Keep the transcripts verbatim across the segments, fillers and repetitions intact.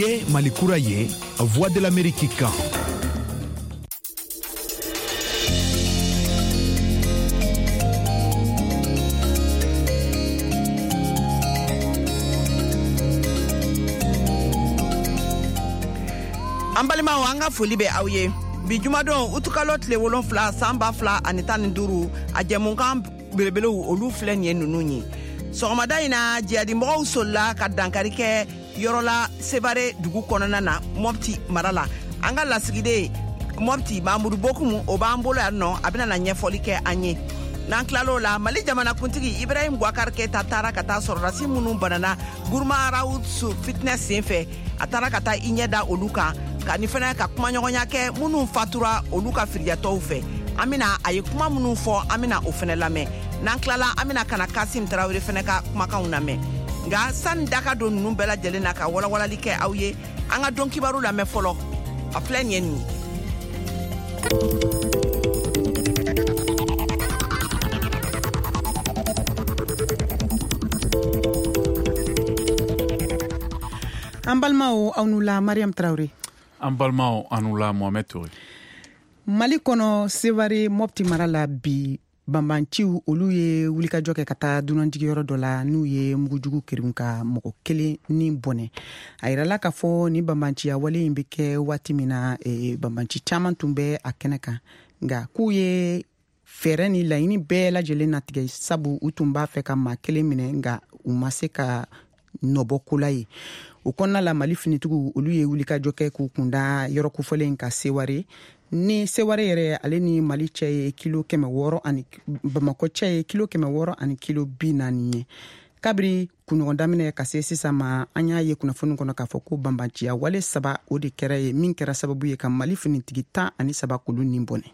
Ye Mali kura ye, Voix de l'Amérique kan. An balimaw, an ka foli bɛ aw ye. Bi jumadon, utukalo tile wolonfila, san ba fila ani tan ni duuru, a jɛmukan belebelew, olu filɛ nin ye ninnu ye. Sɔgɔmada in na, jihadimɔgɔw solila ka dankari kɛ yɔrɔ la Sevare dugu kɔnɔna na, Mɔpti mara la. An ka lasigiden Mɔpti, Mamudu Bokumu, o b'an bolo yan nɔ, a bɛna na ɲɛfɔli kɛ an ye. N'an tilal'o la, Mali jamanakuntigi Ibrahim Boubacar Keita taara ka taa sɔrɔdasi minnu banana Gourma Rharous fitinɛ sen fɛ, a taara ka taa i ɲɛ da olu kan, ka ni fana ka kumaɲɔgɔnya kɛ minnu fatura olu ka firijatɔw fɛ. An bena a ye kuma minnu fɔ, an bena o fɛnɛ lamɛn. N'an tilala, an bena kana Kasim Tarawele fɛnɛ ka kumakanw lamɛn. Nka sani daka don nunu bɛɛ lajɛlen na ka walawalali kɛ aw ye, an ka don kibaru lamɛn fɔlɔ. A filɛ nin ye nin ye. An balimaw, aw nu la. Mariam Tarawele. An balimaw, anu la. Mohamed Touré. Mali kɔnɔ, Sevare, Mɔpti mara la, bi banbanciw olu ye wulikajɔ kɛ ka taa dunanjigiyɔrɔ dɔ la, n'u ye mugujugu kerin ka mɔgɔ kelen ni bɔnɛ. A yirala k'a fɔ ni banbanciya wale in bɛ kɛ waati min na, e, banbanci caman tun bɛ a kɛnɛ kan, nka k'u ye fɛɛrɛ ni laɲini bɛɛ lajɛlen natigɛ, sabu u tun b'a fɛ ka maa kelen minɛ, nka u ma se ka nɔbɔ ko la ye. O kɔnɔna la, Mali finitigiw olu ye wulikajɔ kɛ k'u kunda yɔrɔ kofɔlen ka Seware. Ni Seware yɛrɛ, ale ni Mali cɛ ye kilo kɛmɛ wɔɔrɔ ani Bamakɔ cɛ ye kilo kɛmɛ wɔɔrɔ ani kilo bi naani ye. Kabiri kunɲɔgɔn daminɛ ka se sisan ma, an y'a ye kunnafoni kɔnɔ k'a fɔ ko banbanciya wale saba o de kɛra ye, min kɛra sababu ye ka Mali finitigi tan ani saba k'olu nin bɔnɛ.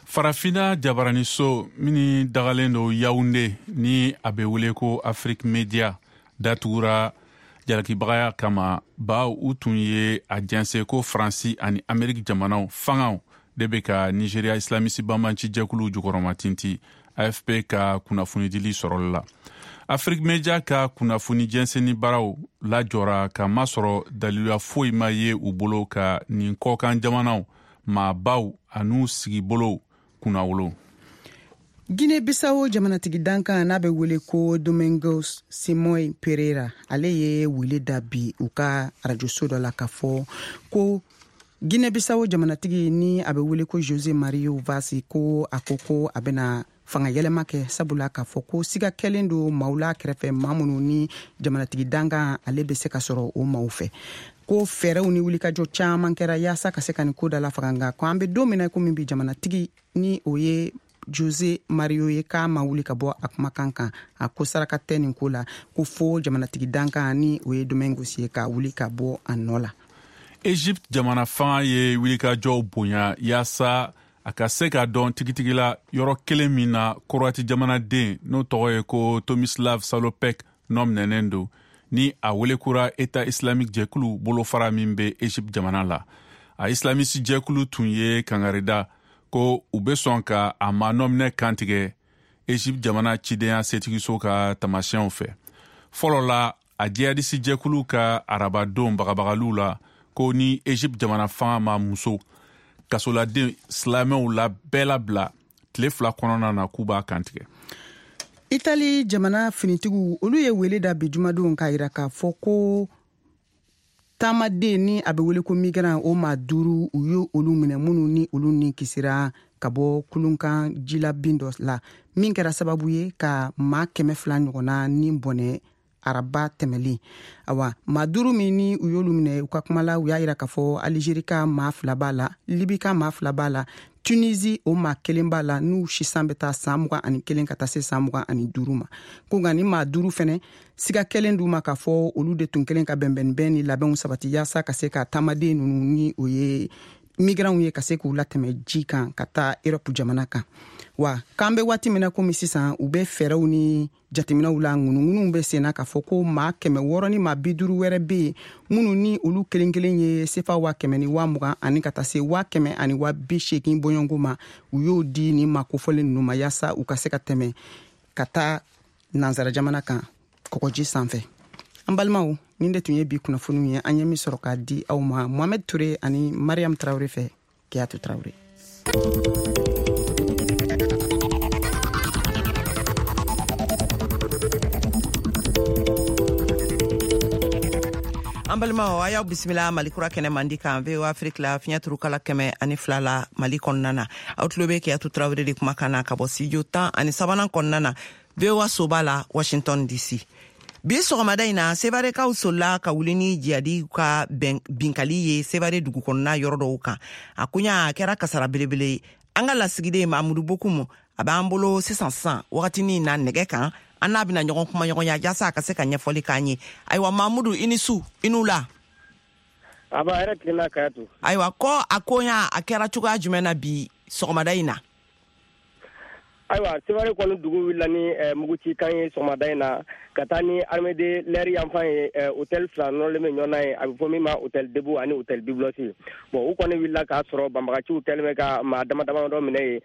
Farafina jabaraniso min dagalen don Yawunde, ni a bɛ wele ko Afrique Media, datugura jalakibagaya kama, baw u tun ye a jɛnsɛ ko Faransi ani Ameriki jamanaw fangaw de bɛ ka Nigeria islamisi banbanci jɛkuluw jukɔrɔmatinti, A F P ka kunnafonidili sɔrɔli la. Afrique Media ka kunnafoni jɛnsɛnni baaraw lajɔra ka masɔrɔ daliluya foyi ma ye u bolo ka nin kɔkan jamanaw maabaw an'u sigibolow kunnawolo. Guinée Bissau jamanatigi dankan, n'a bɛ wele ko Domingos Simoes Pereira, ale ye wele da bi u ka arajoso dɔ la k'a fɔ ko Guinée Bissau jamanatigi ni a bɛ wele ko Jose Mario Vaz, ko a ko ko a bɛna fanga yɛlɛma kɛ, sabula k'a fɔ ko siga kɛlen don maaw la kɛrɛfɛ, maa minnu ni jamanatigi dankan ale bɛ se ka sɔrɔ o maaw fɛ, ko fɛɛrɛw ni wulikajɔ caman kɛra yaasa ka se ka nin ko da la faga, nka ko an bɛ don min na komi bi, jamanatigi ni o ye Jose Mario ye, k'a ma wuli ka bɔ a kumakan kan. A ko saraka tɛ nin ko la, ko fo jamanatigi dankan ni o ye Domingos ye ka wuli ka bɔ a nɔ la. Egypte jamana fanga ye wulikajɔw bonya yaasa a ka se ka dɔn tigitigi la yɔrɔ kelen min na Korowati jamanaden n'o tɔgɔ ye ko Tomislav Salopek nɔ minɛnen don, ni a welekura État islamique jɛkulu bolofara min bɛ Egypte jamana la. A islamisi jɛkulu tun ye kangarida ko u be sɔn ka a ma nɔminɛ kantigɛ Egypte jamana cidenya setigiso ka tamasiyɛnw fɛ. Fɔlɔ la, a jihadisi jɛkulu ka arabadon bagabagaliw la ko ni Egypte jamana fanga ma muso kasoladen silamɛw la bɛɛ labila tile fila kɔnɔna na, k'u b'a kantigɛ. Itali jamana finitigiw olu ye wele da bi jumadon k'a yira k'a fɔ ko taamaden ni a bɛ wele ko migrant, o maa duuru, u ye olu minɛ, minnu ni olu ni kisira ka bɔ kulunkan jilabin dɔ la, min kɛra sababu ye ka maa kɛmɛ fila ɲɔgɔnna ni bɔnɛ araba tɛmɛlen. Awa, maa duuru min ni u y'olu minɛ, u ka kuma la, u y'a yira k'a fɔ Alizeri ka maa fila b'a la, Libi ka maa fila b'a la, Tunisi o maa kelen b'a la, n'u sisan bɛ taa san mugan ani kelen ka taa se san mugan ani duuru ma. Ko nka ni maa duuru fɛnɛ, siga kɛlen d'u ma k'a fɔ olu de tun kelen ka bɛnbɛnbɛn ni labɛnw sabati yaasa ka se ka taamaden ninnu ni o ye migranw ye, ka se k'u latɛmɛ ji kan ka taa Erɔpu jamana kan. Wa k'an bɛ waati min na komi sisan, u bɛ fɛɛrɛw ni jateminɛw la, ŋunuŋunuw bɛ senna k'a fɔ ko maa kɛmɛ wɔɔrɔ ni maa bi duuru wɛrɛ bɛ yen, minnu ni olu kelen kelen ye sefa waa kɛmɛ ni waa mugan ani ka taa se waa kɛmɛ ani waa bi seegin bɔɲɔgɔnko ma, u y'o di ni maa kofɔlen ninnu ma yaasa u ka se ka tɛmɛ ka taa nansara jamana kan kɔgɔji sanfɛ. An balimaw, nin de tun ye bi kunnafoniw ye an ye min sɔrɔ k'a di aw ma Mohamed Touré ani Mariam Traoré fɛ. Kiyatu Traoré. An balimaw, a y'aw bisimila Mali kura kɛnɛ mandi kan V O A Afrique la fiɲɛ turukala kɛmɛ ani fila la Mali kɔnɔna na. Aw tulo bɛ Kiyatu Traoré de kumakan na ka bɔ studio tan ani sabanan kɔnɔna na V O A soba la Washington D C. Bi sɔgɔmada in na, Sevarekaw solila ka wuli ni jihadi ka binkali ye Sevare dugu kɔnɔna yɔrɔ dɔw kan. A koɲa a kɛra kasara belebele ye. An ka lasigiden Mamudu Bokumu a b'an bolo sisan sisan wagatinin na nɛgɛ kan. An n'a bɛna ɲɔgɔn kuma ɲɔgɔnya jasa a ka se ka ɲɛfɔli k'an ye. Ayiwa Mamudu, i ni su, i n'u la. A b'a yɛrɛ tilenna Kayatu. Ayiwa, ko a koɲa a kɛra cogoya jumɛn na bi sɔgɔmada in na? Ayiwa, Sevare kɔni dugu wulila ni mugucikan ye sɔgɔmada in na ka taa ni armée de l'air yanfan ye hôtel fila nɔrɔlen bɛ ɲɔgɔn na ye, a bɛ fɔ min ma hôtel Debout ani hôtel Biblos. Bon, u kɔni wulila k'a sɔrɔ banbagaciw kɛlen bɛ ka maa dama dama dɔ minɛ ye.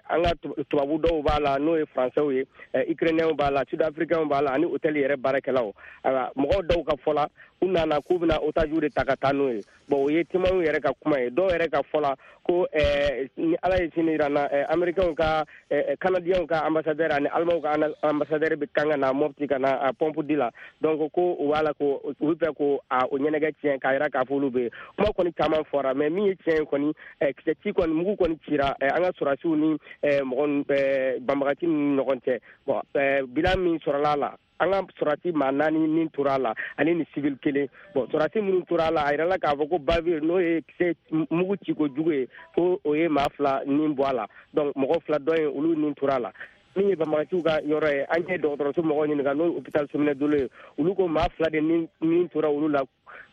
An ka tubabu dɔw b'a la n'o ye français ye, ukrainiens b'a la, sud-africains b'a la ani hôtel yɛrɛ baarakɛlaw. Ayiwa, mɔgɔw dɔw ka fɔ la u nana k'u bɛna otage de ta ka taa n'o ye. Bon, o ye témoins yɛrɛ ka kuma ye. Dɔw yɛrɛ ka fɔ la ko ni Ala ye sini jira n na, américains ka canadiens ka ambassadeur ani allemands ka ambassadeur bɛ kan ka na Mopti ka na pompe di la. Donc ko u b'a la ko u bɛ fɛ ko a o ɲɛnajɛ tiɲɛ k'a jira k'a fɔ olu bɛ yen. Kuma kɔni caman fɔra, mais min ye tiɲɛ ye kɔni, kisɛ ci kɔni mugu kɔni cira an ka sɔrɔdasiw ni mɔgɔ banbagaci ni ɲɔgɔn cɛ. Bon, bilan min sɔrɔla a la, an ka sɔrɔdasi maa naani min tora a la ani ni civil kelen. Bon, sɔrɔdasi minnu tora a la, a yirala k'a fɔ ko bavure n'o ye kisɛ mugu ciko jugu ye, ko o ye maa fila nin bɔ a la. Donc mɔgɔ fila dɔ in olu nin tora a la. Min ye banbagaciw ka yɔrɔ ye, an ye dɔgɔtɔrɔso mɔgɔw ɲininka n'o ye hôpital Sominɛ Dolo ye, olu ko maa fila de nin tora olu la.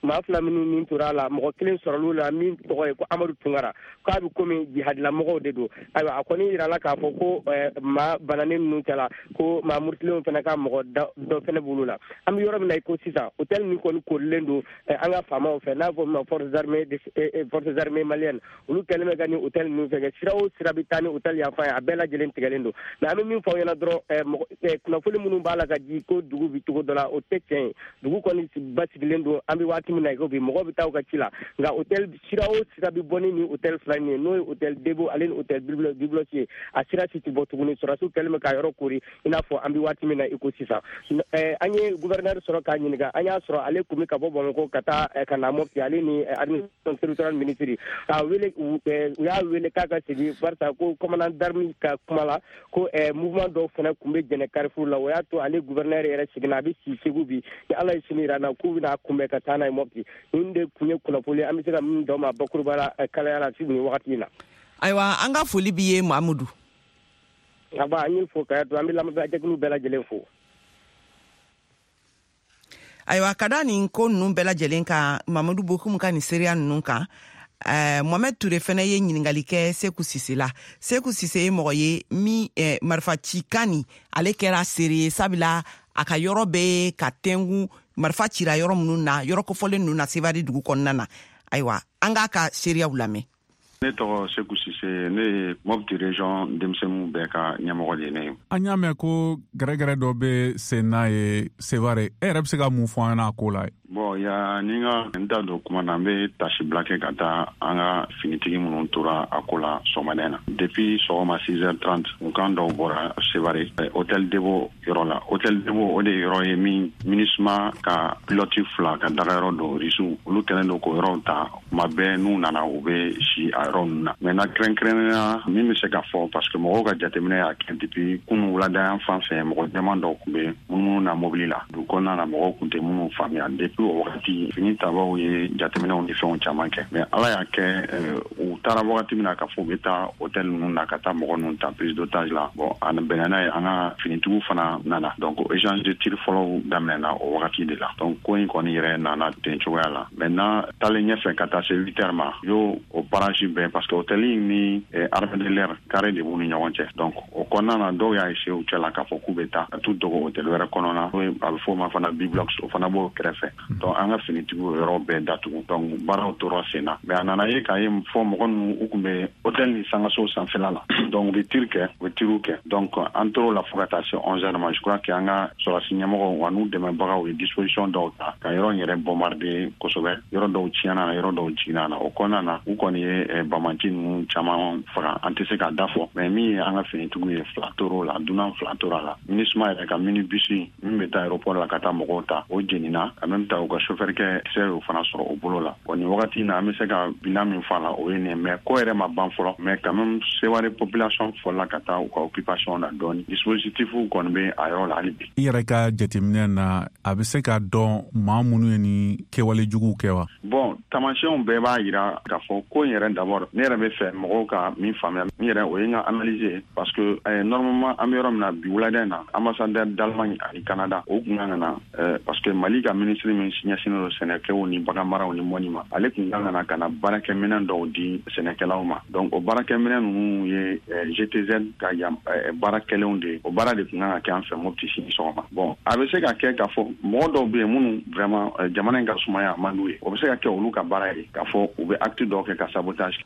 Maa fila minnu min tora a la, mɔgɔ kelen sɔrɔla la min tɔgɔ ye ko Amadu Tunkara, k'a bɛ komi jihadilamɔgɔw de don. Ayiwa, a kɔni yirala k'a fɔ ko maa bananen ninnu kɛla ko maa murutilenw fana ka mɔgɔ dɔ fana b'olu la. An bɛ yɔrɔ min na i ko sisan, hôtel min kɔni korilen don an ka faamaw fɛ n'a fɔ ma forces armées forces armées maliennes, olu kɛlen bɛ ka nin hôtel ninnu fɛ sira o sira bɛ taa ni hôtel yanfan ye, a bɛɛ lajɛlen tigɛlen don. Mais an bɛ min fɔ aw ɲɛna dɔrɔn, kunnafoni minnu b'a la ka di ko dugu bɛ cogo dɔ la, o tɛ tiɲɛ ye. Dugu kɔni basigilen don, an bɛ waati min na i ko bi, mɔgɔw bɛ taa u ka ci la. Nka hôtel sira o sira bɛ bɔ ni nin hôtel fila in ye, n'o ye hôtel Debout ale ni hôtel Biblos ye, a sira si tɛ bɔ tuguni. Sɔrɔdasiw kɛlen bɛ ka yɔrɔ kori i n'a fɔ an bɛ waati min na i ko sisan. An ye gouverneur sɔrɔ k'a ɲininka, an y'a sɔrɔ ale kun bɛ ka bɔ Bamakɔ ka taa ka na Mopti, ale ni administration territoriale ministre k'a wele, u y'a wele k'a ka segin barisa ko commandant d'armée ka kuma la ko mouvement dɔw fana kun bɛ jɛnɛ Carrefour la. O y'a to ale gouverneur yɛrɛ seginna, a bɛ si Segu bi, ni Ala ye sini jira n na k'u bɛna kunbɛn ka taa n'a ye Mopti. Nin de kun ye kunnafoni an bɛ se ka min d'aw ma bakuruba la kalaya la nin wagati in na. Ayiwa, an ka foli b'i ye Mamudu. Aba, an y'i fo Kayatu, an bɛ lamɛnbaajɛkulu bɛɛ lajɛlen fo. Ayiwa, ka da nin ko ninnu bɛɛ lajɛlen kan, Mamudu Bokumu ka nin seereya ninnu kan, Uh, Mohamed Touré fɛnɛ ye ɲininkali kɛ Seku Sise la. Seku Sise ye mɔgɔ ye min eh, marifacikan nin ale kɛra seere ye, sabula a ka yɔrɔ bɛ ka tɛnku marifa cira yɔrɔ minnu na, yɔrɔ kofɔlen ninnu na Sevare dugu kɔnɔna na. Ayiwa, an k'a ka seereyaw lamɛn. Ne tɔgɔ Seku Sise, ne ye Mopti région denmisɛnninw bɛɛ ka ɲɛmɔgɔ de ye ne ye. An y'a mɛn ko gɛrɛgɛrɛ dɔ bɛ sen n'a ye Sevare, e yɛrɛ bɛ se ka mun fɔ an ɲɛna a ko la? Bon, ya ni n ka n da don kuma na, n bɛ tasibila kɛ ka taa an ka finitigi minnu tora a ko la sɔgɔmada in na. Depuis sɔgɔma six heures trente, u kan dɔw bɔra Sevare hôtel Debo yɔrɔ la. Hôtel Debo o de ye yɔrɔ ye min MINUSMA ka pilote fila ka dagayɔrɔ don, Rusiw olu kɛlen don k'o yɔrɔw ta kuma bɛɛ, n'u nana u bɛ si a yɔrɔ ninnu na. Maintenant kɛrɛnkɛrɛnnenya min bɛ se ka fɔ, parce que mɔgɔw ka jateminɛ y'a kɛ depuis kunun wulada yan fan fɛ, mɔgɔ jɛman dɔw tun bɛ munumunu na mobili la dugu kɔnɔna na, mɔgɔw tun tɛ minnu faamuya. Depuis o wagati fini tabaw ye jateminɛw ni fɛnw caman kɛ, mais Ala y'a kɛ u taara wagati min na k'a fɔ u bɛ taa hôtel ninnu na ka taa mɔgɔ ninnu ta prise d'otage la, bon a bɛnna n'a ye an ka finitigiw fana nana, donc échange de tir fɔlɔw daminɛna o wagati de la. Donc ko in kɔni yɛrɛ nana ten cogoya la. Maintenant taalen ɲɛfɛ ka taa se huit heures ma, y'o o barrage bɛɛ, parce que hôtel ni armée de l'air carré de b'u ni ɲɔgɔn cɛ. Donc o kɔnɔna na, dɔw y'a essayer u cɛ la k'a fɔ k'u bɛ taa ka t'u dogo hôtel wɛrɛ kɔnɔna, a bɛ f'o ma fana Biblox, o fana b'o kɛrɛfɛ. Donc an ka finitigiw o yɔrɔ bɛɛ datugu, donc baaraw tora sen na. Mais a nana ye k'a ye fɔ mɔgɔ ninnu u tun bɛ hôtel ni sangaso sanfɛla la, donc u bɛ tir kɛ, u bɛ tirw kɛ. Donc an tor'o la fo ka taa se onze heures ma. Je crois que an ka sɔrɔdasi ɲɛmɔgɔw wa n'u dɛmɛbagaw ye disposition dɔw ta ka yɔrɔ in yɛrɛ bombarder kosɛbɛ. Yɔrɔ dɔw tiɲɛna na, yɔrɔ dɔw jiginna na. O kɔnɔna na, u kɔni ye banbanci ninnu caman faga, an tɛ se k'a da fɔ, mais min ye an ka finitigiw ye, fila tor'o la, dunan fila tora la. MINUSMA yɛrɛ ka minibus min bɛ taa aéroport la ka taa mɔgɔw ta, o jenina. En même temps, u ka chauffeur kɛ kisɛ y'o fana sɔrɔ o bolo la. Bon, nin wagati in na, an bɛ se ka bilan min fɔ a la, o ye nin ye, mais ko yɛrɛ ma ban fɔlɔ. Mais quand même, Seware population fɔlɔla ka taa u ka occupation na dɔɔni, dispositif kɔni bɛ a yɔrɔ la hali bi. I yɛrɛ ka jateminɛ na, a bɛ se ka dɔn maa minnu ye ni kɛwale juguw kɛ wa? Bon, taamasiyɛnw bɛɛ b'a yira k'a fɔ ko in yɛrɛ, d'abord ne yɛrɛ bɛ fɛ mɔgɔw ka min faamuya, min yɛrɛ o ye n ka analyse ye, parce que eh, normalement an bɛ yɔrɔ min na bi, wulada in na, ambassadeur d'Allemagne ani Canada o kun kan ka na, eh, parce que Mali ka ministre min ɲɛsinnen don sɛnɛkɛw ni baganmaraw ni mɔni ma, ale kun kan ka na ka na baarakɛminɛn dɔw di sɛnɛkɛlaw ma. Donc o baarakɛminɛn ninnu ye eh, G T Z ka yan eh, baara kɛlenw de ye. O baara de kun kan ka kɛ an fɛ Mopti sini sɔgɔma. Bon, a bɛ se ka kɛ k'a fɔ mɔgɔ dɔw bɛ yen minnu vraiment eh, jamana in ka sumaya a man d'u ye, o bɛ se ka kɛ olu ka baara ye k'a fɔ u bɛ acte dɔw kɛ ka sabotage.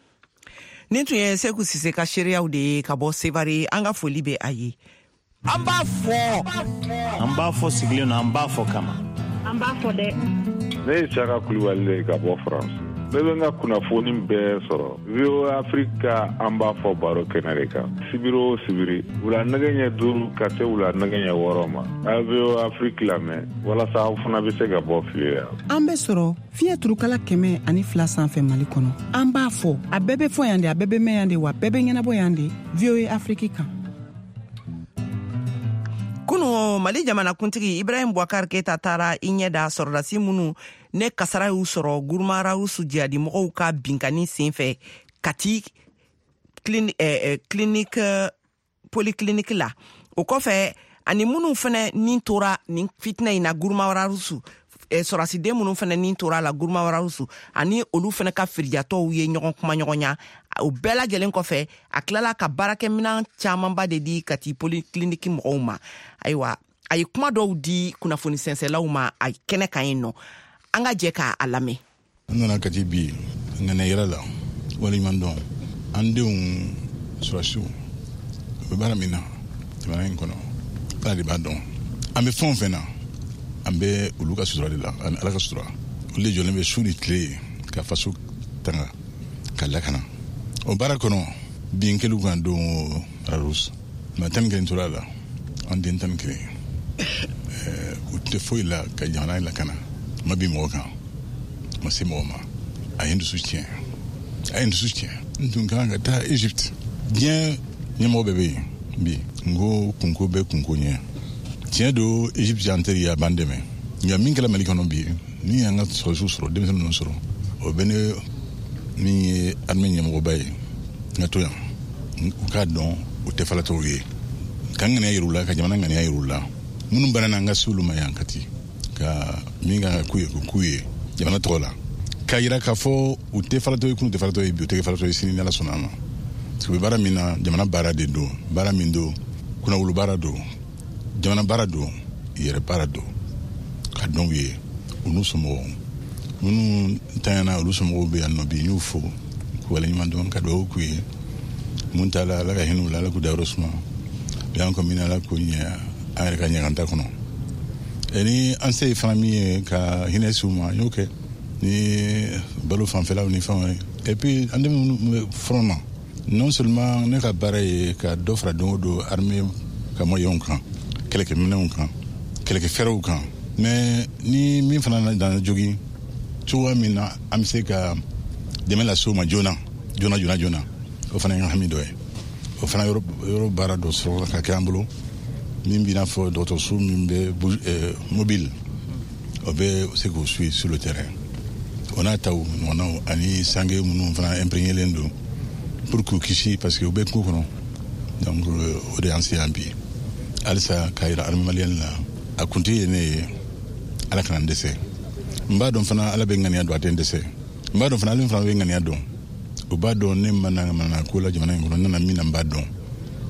Nin tun ye Seku Sise ka seereyaw de ye ka bɔ Sevare. An ka foli bɛ a ye. An b'a fɔ, an b'a fɔ sigilen don, an b'a fɔ kama. An b'a fɔ dɛ. Ne ye Saka Kulibali de ka bɔ France. Ne bɛ n ka kunnafoni bɛɛ sɔrɔ V O A Afrique ka An b'a fɔ baro kɛnɛ de kan, sibiri o sibiri, wula nɛgɛ ɲɛ duuru ka se wula nɛgɛ ɲɛ wɔɔrɔ ma. A ye V O A Afrique lamɛn walasa aw fana bɛ se ka bɔ fili la. An bɛ sɔrɔ fiɲɛ turukala kɛmɛ ani fila sanfɛ Mali kɔnɔ. An b'a fɔ, a bɛɛ bɛ fɔ yan de, a bɛɛ bɛ mɛn yan de, wa bɛɛ bɛ ɲɛnabɔ yan de, V O A Afrique kan. Kunu, Mali jamanakuntigi Ibrahim Boubacar Keita taara i ɲɛ da sɔrɔdasi minnu ne kasara y'u sɔrɔ Gurmarawusu jihadimɔgɔw ka binkani sen fɛ Kati clinique, eh, clinique polyclinique la. O kɔfɛ, ani minnu fɛnɛ nin tora nin fitinɛ in na Gurmarawusu, eh, sɔrɔsiden minnu fɛnɛ nin tora la Gurmarawusu, ani olu fɛnɛ ka firijatɔw ye ɲɔgɔn kuma ɲɔgɔnya. O bɛɛ lajɛlen kɔfɛ, a tilala ka baarakɛminan camanba de di Kati polyclinique mɔgɔw ma. Ayiwa, a ye kuma dɔw di kunnafoni sɛnsɛlaw ma a kɛnɛ kan yen nɔ. An ka jɛ k'a lamɛn. An nana Kati bi ŋaniya yɛrɛ la, waleɲuman dɔn an denw sɔrɔsiw, u bɛ baara min na jamana in kɔnɔ, Ala de b'a dɔn. An bɛ fɛn o fɛn na, an bɛ olu ka sutura de la ani Ala ka sutura. Olu de jɔlen bɛ su ni tile ye ka faso tanga ka lakana. O baara kɔnɔ, bin kɛliw kan don Rarus, maa tan ni kelen tora a la, an den tan ni kelen. U tɛ foyi la ka jamana in lakana. U ma bin mɔgɔ kan, u ma se mɔgɔ ma. A ye n dusu tiɲɛ, a ye n dusu tiɲɛ. N tun kan ka taa Egypte, diɲɛ ɲɛmɔgɔ bɛɛ bɛ yen bi. N ko kunko bɛ kunko ɲɛ. Tiɲɛ don, Egypte y'an teri ye, a b'an dɛmɛ, nka min kɛra Mali kɔnɔ bi, min y'an ka sɔrɔsiw sɔrɔ, denmisɛnnin ninnu sɔrɔ, o bɛ ne min ye armée ɲɛmɔgɔba ye, n ka to yan, u k'a dɔn u tɛ falatɔw ye, ka n ŋaniya yir'u la, ka jamana ŋaniya yir'u la. Minnu banana, an ka se olu ma yan Kati, ka min kan ka k'u ye, k'o k'u ye jamana tɔgɔ la, k'a yira k'a fɔ u tɛ falatɔ ye kunu, tɛ falatɔ ye bi, u tɛ kɛ falatɔ ye sini, ni Ala sɔnna a ma, parce que u bɛ baara min na, jamana baara de don. Baara min don, kunnawolo baara don, jamana baara don, yɛrɛ baara don. Ka dɔn u ye, u n'u somɔgɔw minnu tanyana, olu somɔgɔw bɛ yan nɔ bi, n y'u fo k'u waleɲuman dɔn, ka dugawu k'u ye. Mun t'a la, Ala ka hinɛ u la, Ala k'u dayɔrɔ suma. U y'an kɔ min na, Ala k'o ɲɛ an yɛrɛ ka ɲaganta kɔnɔ. Ni an se ye fana min ye ka hinɛ s'u ma, n y'o kɛ ni balo fanfɛlaw ni fɛnw ye. Et puis an denmisɛnninw bɛ front na, non seulement ne ka baara ye ka dɔ fara don o don armée ka moyens kan, kɛlɛkɛminɛnw kan, kɛlɛkɛfɛɛrɛw kan, mais ni min fana nana jogin, cogoya min na an bɛ se ka dɛmɛ lase u ma joona joona joona joona, o fana ye n ka hami dɔ ye. O fana yɔrɔ yɔrɔ baara dɔ sɔrɔ ka kɛ an bolo, min b'i n'a fɔ dɔgɔtɔrɔso min bɛ mobile, o bɛ se k'o suit sur le terrain. O n'a taw ɲɔgɔnnaw, ani sange minnu fana imprégnélen don pour k'u kisi, parce que u bɛ kungo kɔnɔ. Donc o de y'an se yan bi halisa, k'a yira armée malienne la, a kuntigi ye ne ye. Ala kana n dɛsɛ. N b'a dɔn fana Ala bɛ ŋaniya dɔn, a tɛ n dɛsɛ. N b'a dɔn fana Ale fana bɛ ŋaniya dɔn. U b'a dɔn ne ma na mana ko la jamana in kɔnɔ, n nana min na n b'a dɔn,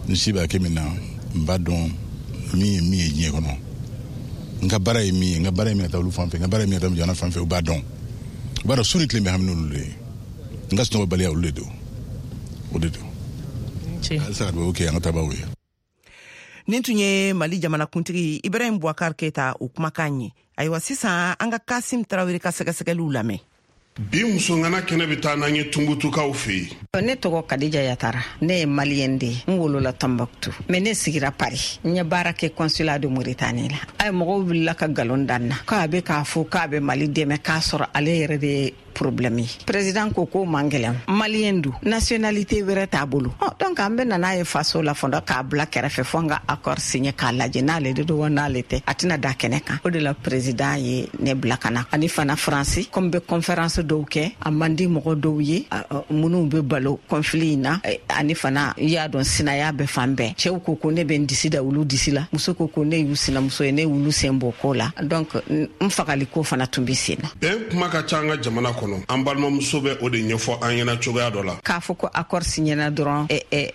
n si b'a kɛ min na n b'a dɔn, min ye min ye diɲɛ kɔnɔ, n ka baara ye min ye, n ka baara ye min ka taa olu fan fɛ, n ka baara ye min ka taa jamana fan fɛ, u b'a dɔn. U b'a dɔn su ni tile bɛ hami n'olu de ye, n ka sunɔgɔbaliya olu de don, o de don. Halisa ka dugawu kɛ an ka taabaaw ye. Nin tun ye Mali jamanakuntigi Ibrahim Boubacar Keita o kumakan ye. Ayiwa, sisan an ka Kasim Tarawele ka sɛgɛsɛgɛliw lamɛn. Bi musongana kɛnɛ bɛ taa n'an ye Tunbutukaw fɛ yen. Ne tɔgɔ Kadija Yatara, ne ye maliyɛn de ye, n wolola Tombouctou, mais ne sigira Paris. N ye baara kɛ consulat de Mauritanie la. A ye mɔgɔw wulila ka nkalon da n na k'a bɛ k'a fɔ k'a bɛ Mali dɛmɛ, k'a sɔrɔ ale yɛrɛ de ye problème ye. Président ko k'o man gɛlɛn, maliyɛn don, nationalité wɛrɛ t'a bolo. Ɔ donc an bɛ na n'a ye faso la fɔlɔ k'a bila kɛrɛfɛ fo an ka accord signé k'a lajɛ n'ale de don wa n'ale tɛ, a tɛna da kɛnɛ kan. O de la président ye ne bila ka na. Ani fana Faransi, comme bɛ conférence dɔw kɛ, a man di mɔgɔ dɔw ye minnu bɛ balo conflit in na. Ani fana i y'a dɔn sinaya bɛ fan bɛɛ. Cɛw ko ko ne bɛ n disi da olu disi la, muso ko ko ne y'u sinamuso ye, ne y'olu sen bɔ ko la. Donc n fagali ko fana tun bɛ sen na. Bɛn kuma ka ca an ka jamana kɔnɔ. An balimamuso bɛ o de ɲɛfɔ an ɲɛna cogoya dɔ la. K'a fɔ ko accord signena dɔrɔn,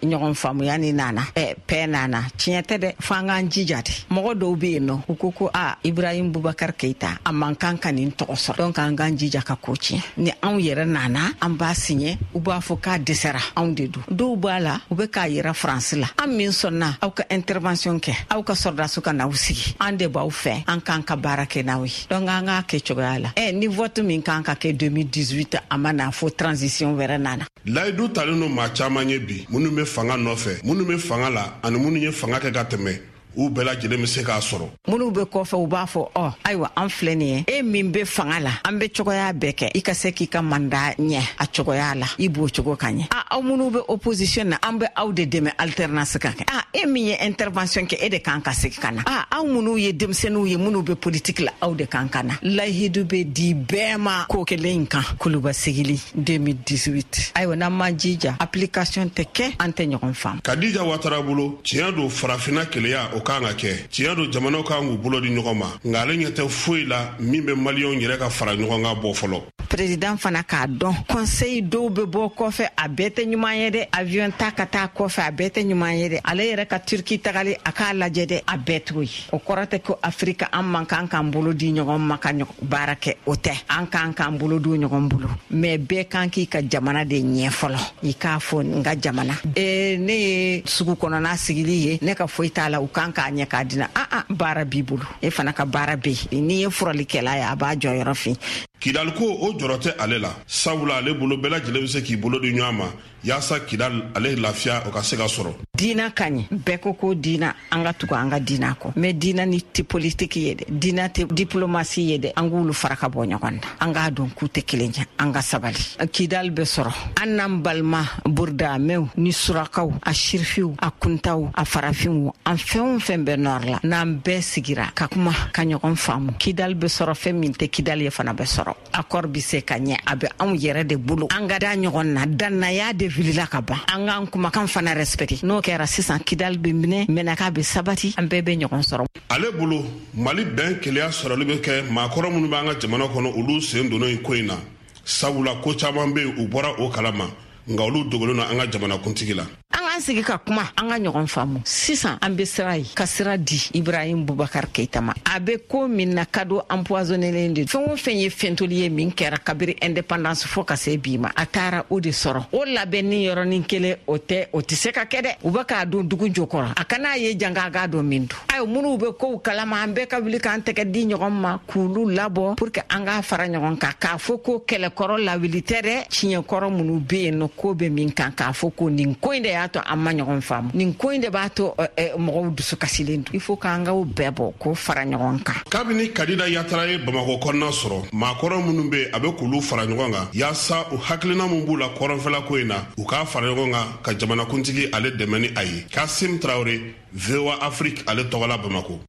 ɲɔgɔn faamuya ni nana, paix nana, tiɲɛ tɛ dɛ, fo an k'an jija de. Mɔgɔ dɔw bɛ yen nɔ, u ko ko a Ibrahim Boubacar Keita a man kan ka nin tɔgɔ sɔrɔ, donc an k'an jija ka ko tiɲɛ. Ni anw yɛrɛ nana an b'a signé, u b'a fɔ k'a dɛsɛra, anw de don. Dɔw b'a la, u bɛ k'a yira Faransi la, an min sɔnna aw ka intervention kɛ, aw ka sɔrɔdasiw ka n'aw sigi, an de b'aw fɛ, an k'an ka baara kɛ n'aw ye. Donc an k'a kɛ cogoya la. Ɛ ni vote min kan ka kɛ deux mille dix-huit, a ma na fo transition wɛrɛ nana. Layidu talen don maa caman ye bi, minnu bɛ fanga nɔfɛ, minnu bɛ fanga la ani minnu ye fanga kɛ ka tɛmɛ, u bɛɛ lajɛlen bɛ se k'a sɔrɔ. Minnu bɛ kɔfɛ, u b'a fɔ ɔ ayiwa an filɛ nin ye, e min bɛ fanga la, an bɛ cogoya bɛɛ kɛ i ka se k'i ka mandat ɲɛ a cogoya la, i b'o cogo ka ɲɛ. A aw minnu bɛ opposition na, an bɛ aw de dɛmɛ alternance ka kɛ. A e min ye intervention kɛ, e de kan ka segin ka na. A aw minnu ye denmisɛnninw ye, minnu bɛ politique la, aw de kan ka na. Layidu bɛ di bɛɛ ma ko kelen in kan. Kuluba sigili deux mille dix-huit. Ayiwa n'an m'an jija, application tɛ kɛ, an tɛ ɲɔgɔn faamu. Kadija Watara bolo, tiɲɛ don farafinna keleya o kan ka kɛ, tiɲɛ don jamanaw kan k'u bolo di ɲɔgɔn ma, nka ale ɲɛ tɛ foyi la min bɛ maliyɛnw yɛrɛ ka fara ɲɔgɔn kan bɔ fɔlɔ. Président fana k'a dɔn, conseil dɔw bɛ bɔ kɔfɛ, a bɛɛ tɛ ɲuman ye dɛ. Avion ta ka taa kɔfɛ, a bɛɛ tɛ ɲuman ye dɛ. Ale yɛrɛ ka Turki tagali, a k'a lajɛ dɛ, a bɛɛ t'o ye. O kɔrɔ tɛ ko Afrika an man kan k'an bolo di ɲɔgɔn ma ka baara kɛ, o tɛ. An kan k'an bolo di ɲɔgɔn bolo, mais bɛɛ kan k'i ka jamana de ɲɛ fɔlɔ. I k'a fɔ n ka jamana, ee ne ye sugu kɔnɔna sigili ye, ne ka foyi t'a la, u kan k'a ɲɛ k'a dina. A a baara b'i bolo, e fana ka baara bɛ yen. N'i ye furalikɛla ye, a b'a jɔyɔrɔ fin. Kidali ko o jɔrɔ tɛ ale la, sabula ale bolo bɛɛ lajɛlen bɛ se k'i bolo di ɲɔgɔn ma yaasa Kidali ale lafiya o ka se ka sɔrɔ. Diina ka ɲi, bɛɛ ko ko diina, an ka tugu an ka diina kɔ, mais diina ni tɛ politiki ye dɛ, diina tɛ diplomasi ye dɛ, an k'olu fara ka bɔ ɲɔgɔn na, an k'a dɔn k'u tɛ kelen ye, an ka sabali. Kidali bɛ sɔrɔ, an n'an balima burudamɛw ni surakaw, a sirifiw, a kuntaw, a farafinw, an fɛn o fɛn bɛ nɔrɔ la, n'an bɛɛ sigira ka kuma ka ɲɔgɔn faamu, Kidali bɛ sɔrɔ. Fɛn min tɛ Kidali ye fana bɛ sɔrɔ. Accord bɛ se ka ɲɛ, a bɛ anw yɛrɛ de bolo, an ka da ɲɔgɔn na, dannaya de wulila ka ban, an k'an kumakan fana respecté. N'o kɛra sisan, Kidali bɛ minɛ, Mɛnaka bɛ sabati, an bɛɛ bɛ ɲɔgɔn sɔrɔ. Ale bolo, Mali bɛn keleya sɔrɔli bɛ kɛ maakɔrɔ minnu b'an ka jamana kɔnɔ, olu sen donna in ko in na, sabula ko caman bɛ yen u bɔra o kalama, nka olu dogolen don an ka jamanakuntigi la. An k'an sigi ka kuma, an ka ɲɔgɔn faamu. Sisan an bɛ sira ye, ka sira di Ibrahim Boubacar Keita ma. A bɛ ko min na, cadeau empoisonnélen de. Fɛn o fɛn ye fɛntoli ye min kɛra kabiri indépendance fo ka se bi ma, a taara o de sɔrɔ. O labɛnni yɔrɔnin kelen, o tɛ, o tɛ se ka kɛ dɛ. U bɛ k'a don dugu jukɔrɔ, a kana ye janga k'a dɔn min don. Ayiwa minnu bɛ kow kalama, an bɛɛ ka wuli k'an tɛgɛ di ɲɔgɔn ma k'olu labɔ pour que an k'a fara ɲɔgɔn kan, k'a fɔ ko kɛlɛkɔrɔ lawuli tɛ dɛ, tiɲɛkɔrɔ minnu bɛ yen nɔ, ko bɛ min kan, k'a fɔ ko nin ko in de y'a to an ma ɲɔgɔn faamu, nin ko in de b'a to mɔgɔw dusu kasilen don. Il faut k'an k'o bɛɛ bɔ k'o fara ɲɔgɔn kan. Kabini Kadida Yatara ye Bamakɔ kɔnɔna sɔrɔ, maakɔrɔ minnu bɛ yen, a bɛ k'olu fara ɲɔgɔn kan yaasa u hakilina min b'u la kɔrɔnfɛla ko in na, u k'a fara ɲɔgɔn kan ka jamanakuntigi ale dɛmɛ ni a ye. Kasim Tarawele, V O A Afrique, ale tɔgɔla Bamakɔ.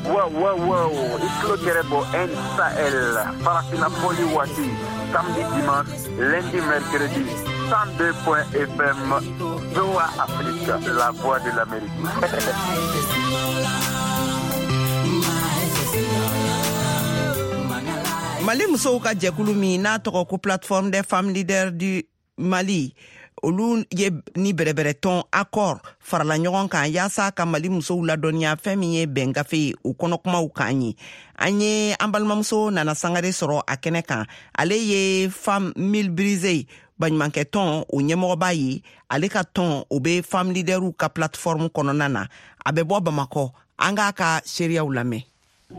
Wow, wow, wow. I tulo gɛrɛ bɔ N Sahel, Farafina fɔli waati, samedi, dimanche, lundi, mercredi, cent deux point F M, V O A Afrique, la voix de l'Amérique. Mali musow ka jɛkulu min n'a tɔgɔ ko Plateforme des femmes leaders du Mali, olu ye ni bɛrɛbɛrɛtɔn accord farala ɲɔgɔn kan yaasa ka Mali musow ladɔnniya fɛn min ye bɛn gafe ye, o kɔnɔkumaw kan ye. An ye an balimamuso Nana Sangare sɔrɔ a kɛnɛ kan. Ale ye Femme Mille Brisées baɲumankɛ tɔn o ɲɛmɔgɔba ye. Ale ka tɔn o bɛ femme leaderw ka plateforme kɔnɔna na. A bɛ bɔ Bamakɔ. An k'a ka seereyaw lamɛn.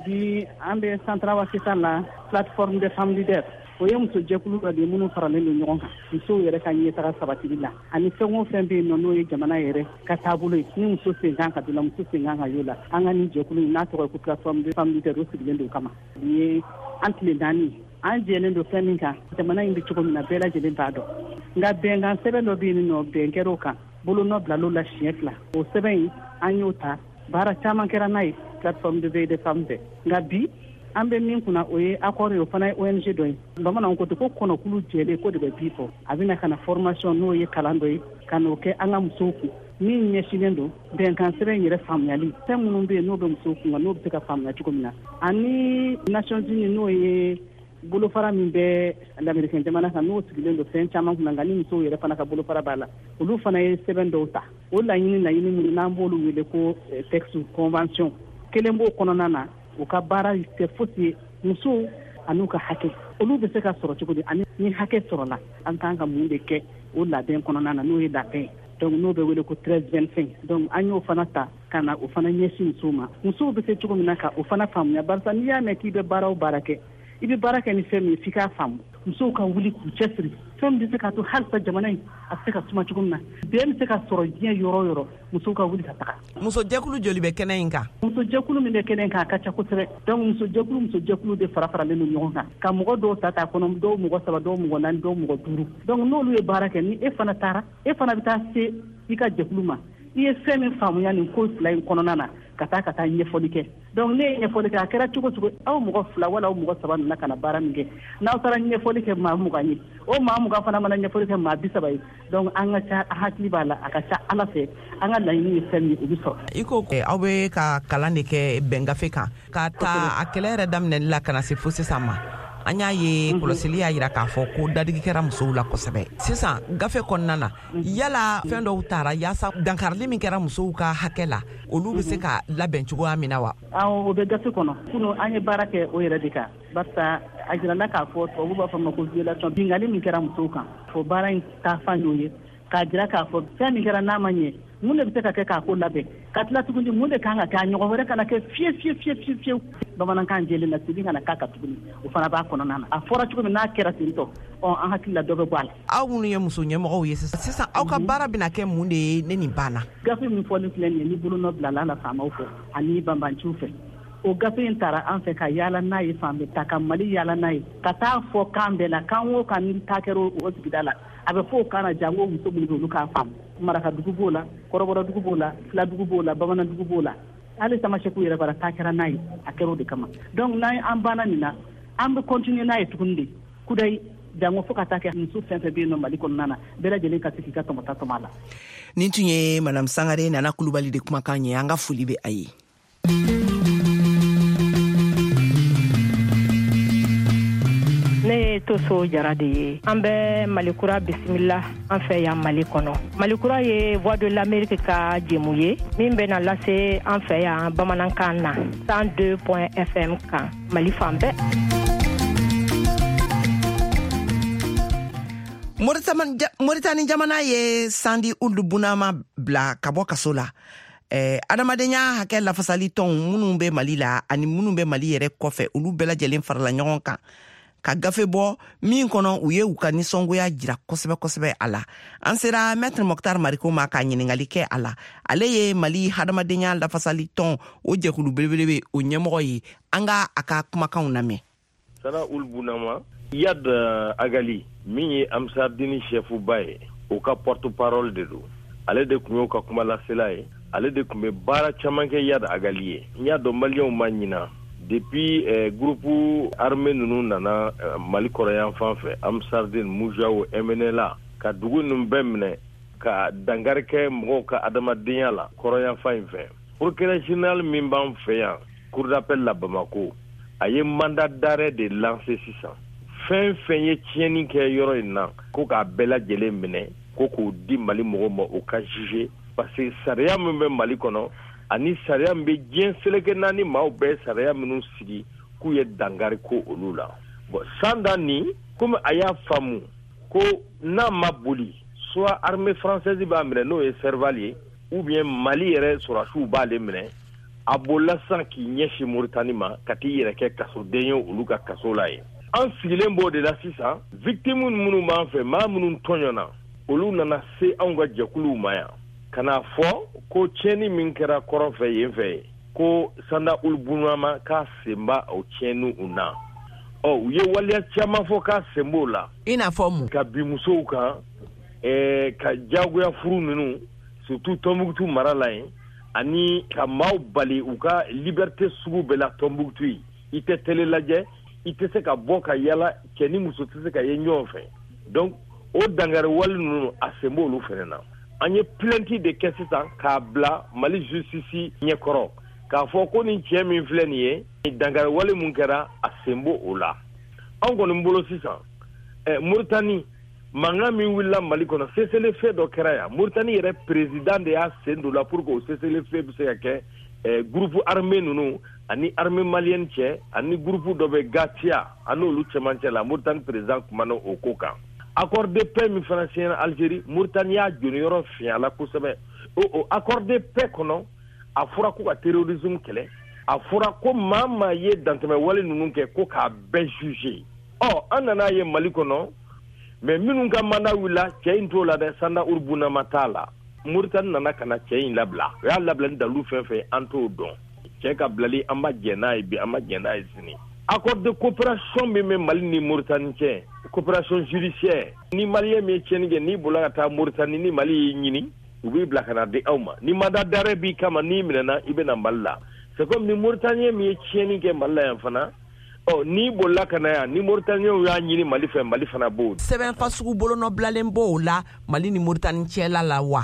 Bi an bɛ Central sisan la, Plateforme des femmes leaders, o ye muso jɛkulu dɔ de ye minnu faralen don ɲɔgɔn kan musow yɛrɛ ka ɲɛtaga sabatili la, ani fɛn o fɛn bɛ yen nɔ n'o ye jamana yɛrɛ ka taabolo ye, ni muso sen kan ka don la, muso sen kan ka y'o la. An ka nin jɛkulu in n'a tɔgɔ ye ko Plateforme des femmes leaders, o sigilen don o kama. Nin ye an tile naani, an jɛlen don fɛn min kan, jamana in bɛ cogo min na, bɛɛ lajɛlen b'a dɔn. Nka bɛnkan sɛbɛn dɔ bɛ yen nɔ, bɛn kɛra o kan, bolonɔ bilal'o la siɲɛ fila. O sɛbɛn in, an y'o ta, baara caman kɛra n'a ye Plateforme de veille des femmes fɛ. Nka bi an bɛ min kunna, o ye accord ye, o fana ye O N G dɔ ye. Bamananw ko ten ko kɔnɔkulu jɛlen ko de bɛ bi fɔ. A bɛna ka na formation, n'o ye kalan dɔ ye, ka n'o kɛ an ka musow kun, min ɲɛsinnen don bɛnkan sɛbɛn in yɛrɛ faamuyali, fɛn minnu bɛ yen n'o bɛ musow kun kan, n'o bɛ se ka faamuya cogo min na, ani Nations Unies, n'o ye bolofara min bɛ lamericain jamana kan, n'o sigilen don fɛn caman kunna, nka ni musow yɛrɛ fana ka bolofara b'a la, olu fana ye sɛbɛn dɔw ta. O laɲini laɲini minnu n'an b'olu wele ko texte convention, kelen b'o kɔnɔna na. U ka baara tɛ fosi ye musow an'u ka hakɛ, olu bɛ se ka sɔrɔ cogo di, ani ni hakɛ sɔrɔla, an kan ka mun de kɛ o labɛn kɔnɔna na, n'o ye labɛn ye, donc n'o bɛ wele ko treize vingt-cinq. Donc an y'o fana ta ka na o fana ɲɛsin musow ma, musow bɛ se cogo min na ka o fana faamuya, barisa n'i y'a mɛn k'i bɛ baara o baara kɛ, i bɛ baara kɛ ni fɛn min ye, f'i k'a faamu. Musow ka wuli k'u cɛsiri, fɛn min bɛ se k'a to halisa jamana in a bɛ se ka suma cogo min na, bɛn bɛ se ka sɔrɔ diɲɛ yɔrɔ o yɔrɔ, musow ka wuli ka taga. Musojɛkulu joli bɛ kɛnɛ in kan? Musojɛkulu min bɛ kɛnɛ in kan, a ka ca kosɛbɛ. Donc musojɛkulu musojɛkulu de fara faralen don ɲɔgɔn kan, ka mɔgɔ dɔw ta t'a kɔnɔ, dɔw mɔgɔ saba, dɔw mɔgɔ naani, dɔw mɔgɔ duuru. Donc n'olu ye baara kɛ, ni e fana taara, e fana bɛ taa se i ka jɛkulu ma, i ye fɛn min faamuya nin ko fila in kɔnɔna na, ka taa ka taa ɲɛfɔli kɛ. Donc ne ye ɲɛfɔli kɛ, a kɛra cogo cogo, aw mɔgɔ fila wala aw mɔgɔ saba nana ka na baara min kɛ, n'aw taara ɲɛfɔli kɛ maa mugan ye, o maa mugan fana mana ɲɛfɔli kɛ maa bi saba ye, donc an ka ca, hakili b'a la, a ka ca Ala fɛ, an ka laɲini ye fɛn min ye, o bɛ sɔrɔ. I ko aw bɛ ka kalan de kɛ bɛn gafe kan, ka ta a kɛlɛ yɛrɛ daminɛli la ka na se fo sisan ma, an y'a ye kɔlɔsili y'a yira k'a fɔ ko dadigi kɛra musow la kosɛbɛ. Sisan gafe kɔnɔna na, yala fɛn dɔw taara yaasa dankarili min kɛra musow ka hakɛ la, olu bɛ se ka labɛn cogoya min na wa? Awɔ, o bɛ gafe kɔnɔ. Kunu an ye baara kɛ o yɛrɛ de kan, barisa a jirala k'a fɔ tubabu b'a fɔ ma ko violation, binkanni min kɛra musow kan. Fo baara in taafan y'o ye, k'a jira k'a fɔ fɛn min kɛra n'a ma ɲɛ, mun de bɛ se ka kɛ k'a ko labɛn, ka tila tuguni mun de kan ka kɛ a ɲɔgɔn wɛrɛ kana kɛ fiye fiye fiye fiye fiyewu. Bamanankan jɛlen na, segin kana k'a kan tuguni, o fana b'a kɔnɔna na. A fɔra cogo min n'a kɛra ten tɔ, ɔ an hakili la dɔ bɛ bɔ a la. Aw minnu ye muso ɲɛmɔgɔw ye sisan sisan, aw ka baara bɛna kɛ mun de ye ne nin banna? Gafe min fɔlen filɛ nin ye, ni bolonɔ bilala la faamaw fɛ ani banbanciw fɛ, o gafe in taara an fɛ ka yaala n'a ye fan bɛɛ, ta ka Mali yaala n'a ye, ka taa fɔ kan bɛɛ la, kan o kan ni taa kɛra o sigida la, a bɛ fɔ o kan na, jango muso minnu bɛ, olu k'a faamu. Marakadugu b'o la, kɔrɔbɔrɔdugu b'o la, filadugu b'o la, bamanandugu b'o la, hali tamasɛkiw yɛrɛ bara taa kɛra n'a ye. A kɛra o de kama. Donc n'an an banna nin na, an bɛ continuer n'a ye tuguni de kudayi, jango fo ka taa kɛ muso fɛn fɛn bɛ yen nɔ Mali kɔnɔna na, bɛɛ lajɛlen ka se k'i ka tɔmɔta tɔmɔ a la. Nin tun ye Madame Sangare Nana Kulubali de kumakan ye. An ka foli bɛ a ye. Ne ye Toso Jara de ye. An bɛ Malikura bisimila an fɛ yan Mali kɔnɔ. Malikura ye Voix de l'Amérique ka jɛmu ye min bɛna lase an fɛ yan bamanankan na cent deux point F M kan Mali fan bɛɛ. Moritani jamana ye Sandi Ulu Bunama bila ka bɔ kaso la. eh, adamadenya hakɛ lafasali tɔnw minnu bɛ Mali la ani minnu bɛ Mali yɛrɛ kɔfɛ, olu bɛɛ lajɛlen farala ɲɔgɔn kan ka gafe bɔ min kɔnɔ u ye u ka nisɔngoya jira kosɛbɛ kosɛbɛ a la. An sera Maître Mɔktar Mariko ma ka ɲiningali kɛ a la. Ale ye Mali hadamadenya lafasali tɔn o jɛkulu belebele o ɲɛmɔgɔ ye. An ka a ka kumakanw lamɛn. Sana Ul Bunama, Iyad Agali min ye Amsardini chef ba ye, o ka porte parole de don. Ale de tun y'o ka kumalasela ye, ale de tun bɛ baara caman kɛ Iyad Agali ye. N y'a dɔn maliyɛnw ma ɲina, depuis eh, groupe armé ninnu nana eh, Mali kɔrɔyan fan fɛ, Amsardine, Mujao, M N L A, ka dugu ninnu bɛɛ minɛ ka dankari kɛ mɔgɔw ka adamadenya la kɔrɔyan fan in fɛ, procureur général min b'an fɛ yan, cour d'appel la Bamako, A ye mandat d'arrêt de lancer sisan. Fɛn fɛn ye tiɲɛni kɛ yɔrɔ in na, ko k'a bɛɛ lajɛlen minɛ, ko k'o di Mali mɔgɔw ma, o ka juger, parce que sariya min bɛ Mali kɔnɔ ani sariya min bɛ diɲɛ seleke naani maaw bɛɛ sariya minnu sigi k'u ye dankari ko olu la. Bon, Sanda nin, komi a y'a faamu ko n'a ma boli, soit armée française b'a minɛ, n'o ye Serval ye, ou bien Mali yɛrɛ sɔrɔdasiw b'ale minɛ, a bolila sisan k'i ɲɛsin Moritani ma ka t'i yɛrɛ kɛ kasoden ye olu ka kaso la yen. An sigilen b'o de la sisan. Victime minnu b'an fɛ, maa minnu tɔɲɔna, olu nana se anw ka jɛkuluw ma yan ka n'a fɔ ko tiɲɛni min kɛra kɔrɔn fɛ yen fɛ yen, ko Sanda Ould Bounama k'a sen b'a o tiɲɛniw na. Ɔ, u ye waleya caman fɔ k'a sen b'o la. I n'a fɔ mun? Ka bin musow kan, ɛɛ ka diyagoya furu ninnu, surtout Tɔnbukutu mara la yen, ani ka maaw bali u ka liberté sugu bɛɛ la Tɔnbukutu yen. I tɛ télé lajɛ, i tɛ se ka bɔ ka yala, cɛ ni muso tɛ se ka ye ɲɔgɔn fɛ. Donc o dankari wale ninnu, a sen b'olu fɛnɛ na. An ye plainte de kɛ sisan k'a bila Mali justice ɲɛkɔrɔ, k'a fɔ ko nin cɛ min filɛ nin ye, dankari wale mun kɛra, a sen b'o o la. Anw kɔni bolo sisan, ɛ Moritani mankan min wulila Mali kɔnɔ, cessez-le-feu dɔ kɛra yan, Moritani yɛrɛ président de y'a sen don la pour que o cessez-le-feu bɛ se ka kɛ ɛ groupe armé ninnu ani armée malienne cɛ, ani groupe dɔ bɛ Gatia, ani olu cɛmancɛ la. Moritani président kumana o ko kan. Accord de paix min fana signé Algérie, Moritani y'a jɔniyɔrɔ fiɲɛ la kosɛbɛ. O o accord de paix kɔnɔ, a fɔra ko ka terrorisme kɛlɛ, a fɔra ko maa maa ye dantɛmɛ wale ninnu kɛ, ko k'a bɛɛ juger. Ɔ, an nana ye Mali kɔnɔ, mais minnu ka mandat wulila, cɛ in t'o la dɛ, Sanda Ould Bounama t'a la. Moritani nana ka na cɛ in labila. O y'a labila ni dalu fɛn fɛn, an t'o dɔn. Cɛ ka bilali, an ma jɛn n'a ye bi, an ma jɛn n'a ye sini. Accord de coopération min bɛ Mali ni Moritani cɛ, coopération judiciaire, ni Malien min ye tiɲɛni kɛ, n'i bolila ka taa Moritani, ni Mali y'i ɲini, u b'i bila ka na di aw ma. Ni mandat d'arrêt b'i kama, n'i minɛna, i bɛ na Mali la. C'est comme ni Mauritanien min ye tiɲɛni kɛ Mali la yan fana, ɔ, n'i bolila ka na yan, ni Mauritaniens y'a ɲini Mali fɛ, Mali fana b'o. Sɛbɛn fasugu bolonɔbilalen b'o la Mali ni Moritani cɛla la wa?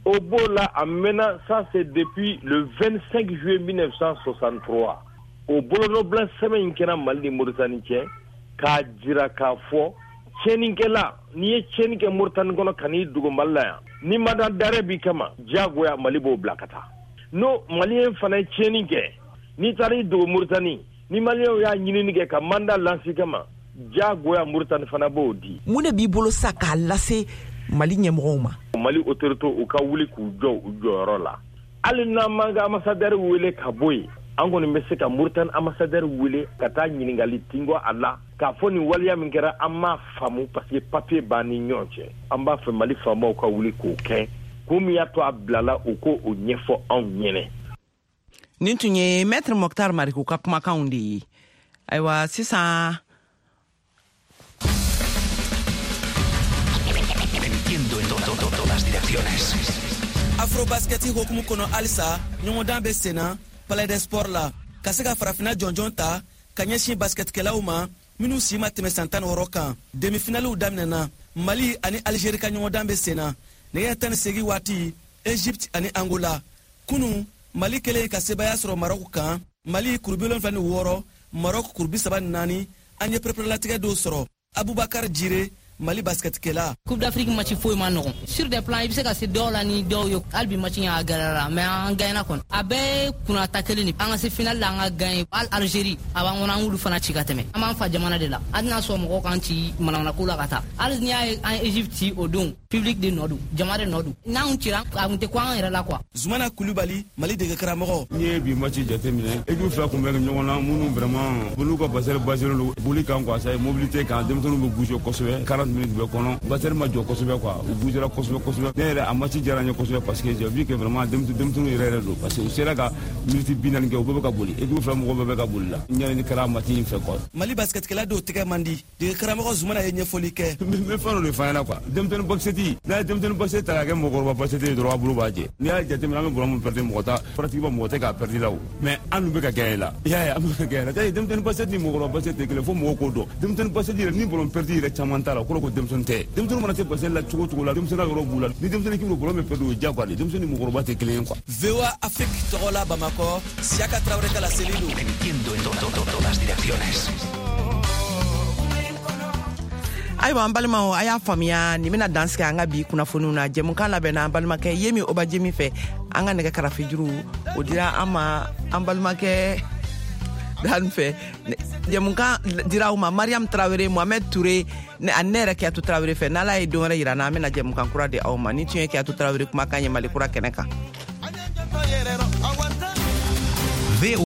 O b'o la, a mɛnna. Ça c'est depuis le vingt-cinq juillet mille neuf cent soixante-trois. O bolonɔbila sɛbɛn in kɛra Mali ni Moritani cɛ k'a jira k'a fɔ tiɲɛnikɛla, n'i ye tiɲɛni kɛ Moritani kɔnɔ ka n'i dogo Mali la yan, ni mandat d'arrêt b'i kama, diyagoya Mali b'o bila ka taa. N'o Malien fana ye tiɲɛni kɛ, n'i taara i dogo Moritani, ni Malienw y'a ɲinini kɛ ka mandat lancer kama, diyagoya Moritani fana b'o di. Mun de b'i bolo sa k'a lase Mali ɲɛmɔgɔw ma? Mali autorité, u ka wuli k'u jɔ u jɔyɔrɔ la. Hali n'an m'an ka ambassadeur wele ka bɔ yen, an kɔni bɛ se ka Moritani ambassadeur wele ka taa ɲininkali tingɔ a la, k'a fɔ nin waleya min kɛra, an m'a faamu, parce que papier b'an ni ɲɔgɔn cɛ. An b'a fɛ Mali faamaw ka wuli k'o kɛ. Ko min y'a to a bilala, u ko o ɲɛfɔ anw ɲɛnɛ. Nin tun ye Maître Moctar Mariko ka kumakanw de ye. Ayiwa, sisan Entiendo en todas direcciones. Afrobasket hokumu kɔnɔ, halisa ɲɔgɔndan bɛ senna Palais des Sports la, ka se ka farafinna jɔnjɔn ta ka ɲɛsin basketkɛlaw ma minnu si ma tɛmɛ san tan ni wɔɔrɔ kan. Demifinaliw daminɛna. Mali ani Alizeri ka ɲɔgɔndan bɛ senna nɛgɛ tan ni seegin waati, Egypte ani Angola. Kunu, Mali kɛlen ka sebaaya sɔrɔ Marɔku kan, Mali kuru bi wolonfila ni wɔɔrɔ, Marɔku kuru bi saba ni naani. An ye pereperelatigɛ dɔw sɔrɔ. Abubakar Jire, Mali basketkɛla. Coupe d'Afrique match foyi ma nɔgɔn. Sur des plans, i bɛ se ka se dɔw la ni dɔw ye. Hali bi match in a gɛlɛyara, mais an gagnera kɔni. A bɛɛ ye kunnata kelen de. An ka se finale la, an ka gagner. Hali Algérie a b'an kɔnɔ, an k'olu fana ci ka tɛmɛ. An b'an fa jamana de la, an tɛna sɔn mɔgɔw k'an ci manamanako la ka taa. Hali n'i y'a ye an ye Egypte ci o don, public de nɔ don, jama de nɔ don. N'an cira, a kun tɛ ko an yɛrɛ la quoi. Zumana Kulubali, Mali dege karamɔgɔ. N'i ye bi match jateminɛ, équipe fila kun bɛ ɲɔgɔn na minnu vraiment olu ka basket basé don boli kan quoi, ça mobilité kan, denmisɛnninw bɛ bouger kosɛbɛ. quarante minutes bɛɛ kɔnɔ, basket ma jɔ kosɛbɛ quoi, u bougera kosɛbɛ kosɛbɛ. Ne yɛrɛ, a match diyara n ye kosɛbɛ parce que j'ai vu que vraiment denmisɛnninw yɛrɛ yɛrɛ don, parce que u sera ka minute bi naani kɛ, u bɛɛ bɛ ka boli, équipe fila mɔgɔ bɛɛ bɛ ka boli la. N ɲɛnɛ kɛra match in fɛ quoi. Mali basketkɛla dɔw tɛgɛ man di. Dege karamɔgɔ Zumana ye ɲɛfɔli kɛ. N bɛ fɛn dɔ de f'a ɲɛna quoi, denmisɛnnin basket, n'a ye denmisɛnnin basket ta k'a kɛ mɔgɔkɔrɔba basket ye dɔrɔn, a bolo b'a jɛ. N'i y'a jateminɛ, an bɛ ballon min perdre, mɔgɔ t'a pratiquement mɔgɔ tɛ k'a perdre la o, mais an dun bɛ ka gagner la. I y'a ye, an bɛ ka gagner la. Denmisɛnnin basket ni mɔgɔkɔrɔba basket tɛ kelen, fo mɔgɔw k'o dɔn. Denmisɛnnin basket yɛrɛ, ni ballon perdre yɛrɛ caman t'a la. kɔrɔ ko denmisɛnnin tɛ. Denmisɛnnin mana se basket la cogo cogo la, denmisɛnnin yɔrɔ b'u la. Ni denmisɛnnin k'i bɛ ballon bɛ perdu, o ye diyagoya de ye. Denmisɛnnin ni mɔgɔkɔrɔba tɛ kelen ye quoi. V O A Afrique tɔgɔ la Bamakɔ, Siyaka Tarawele ka laseli don. Emitiendo en todas direcciones. Ayiwa, an balimaw, a y'a faamuya, nin bena dan sigi an ka bi kunnafoniw na. Jɛmukan labɛnna an balimakɛ Yemi Obajemi fɛ. An ka nɛgɛ karafejuru, o dira an ma an balimakɛ Dan fɛ. Jɛmukan dira aw ma Mariam Tarawele, Mohamed Touré ani ne yɛrɛ Kiyatu Tarawele fɛ. N'Ala ye don wɛrɛ yira n na, an bena jɛmukan kura di aw ma. Ni tun ye Kiyatu Tarawele kumakan ye Mali Kura kɛnɛ kan.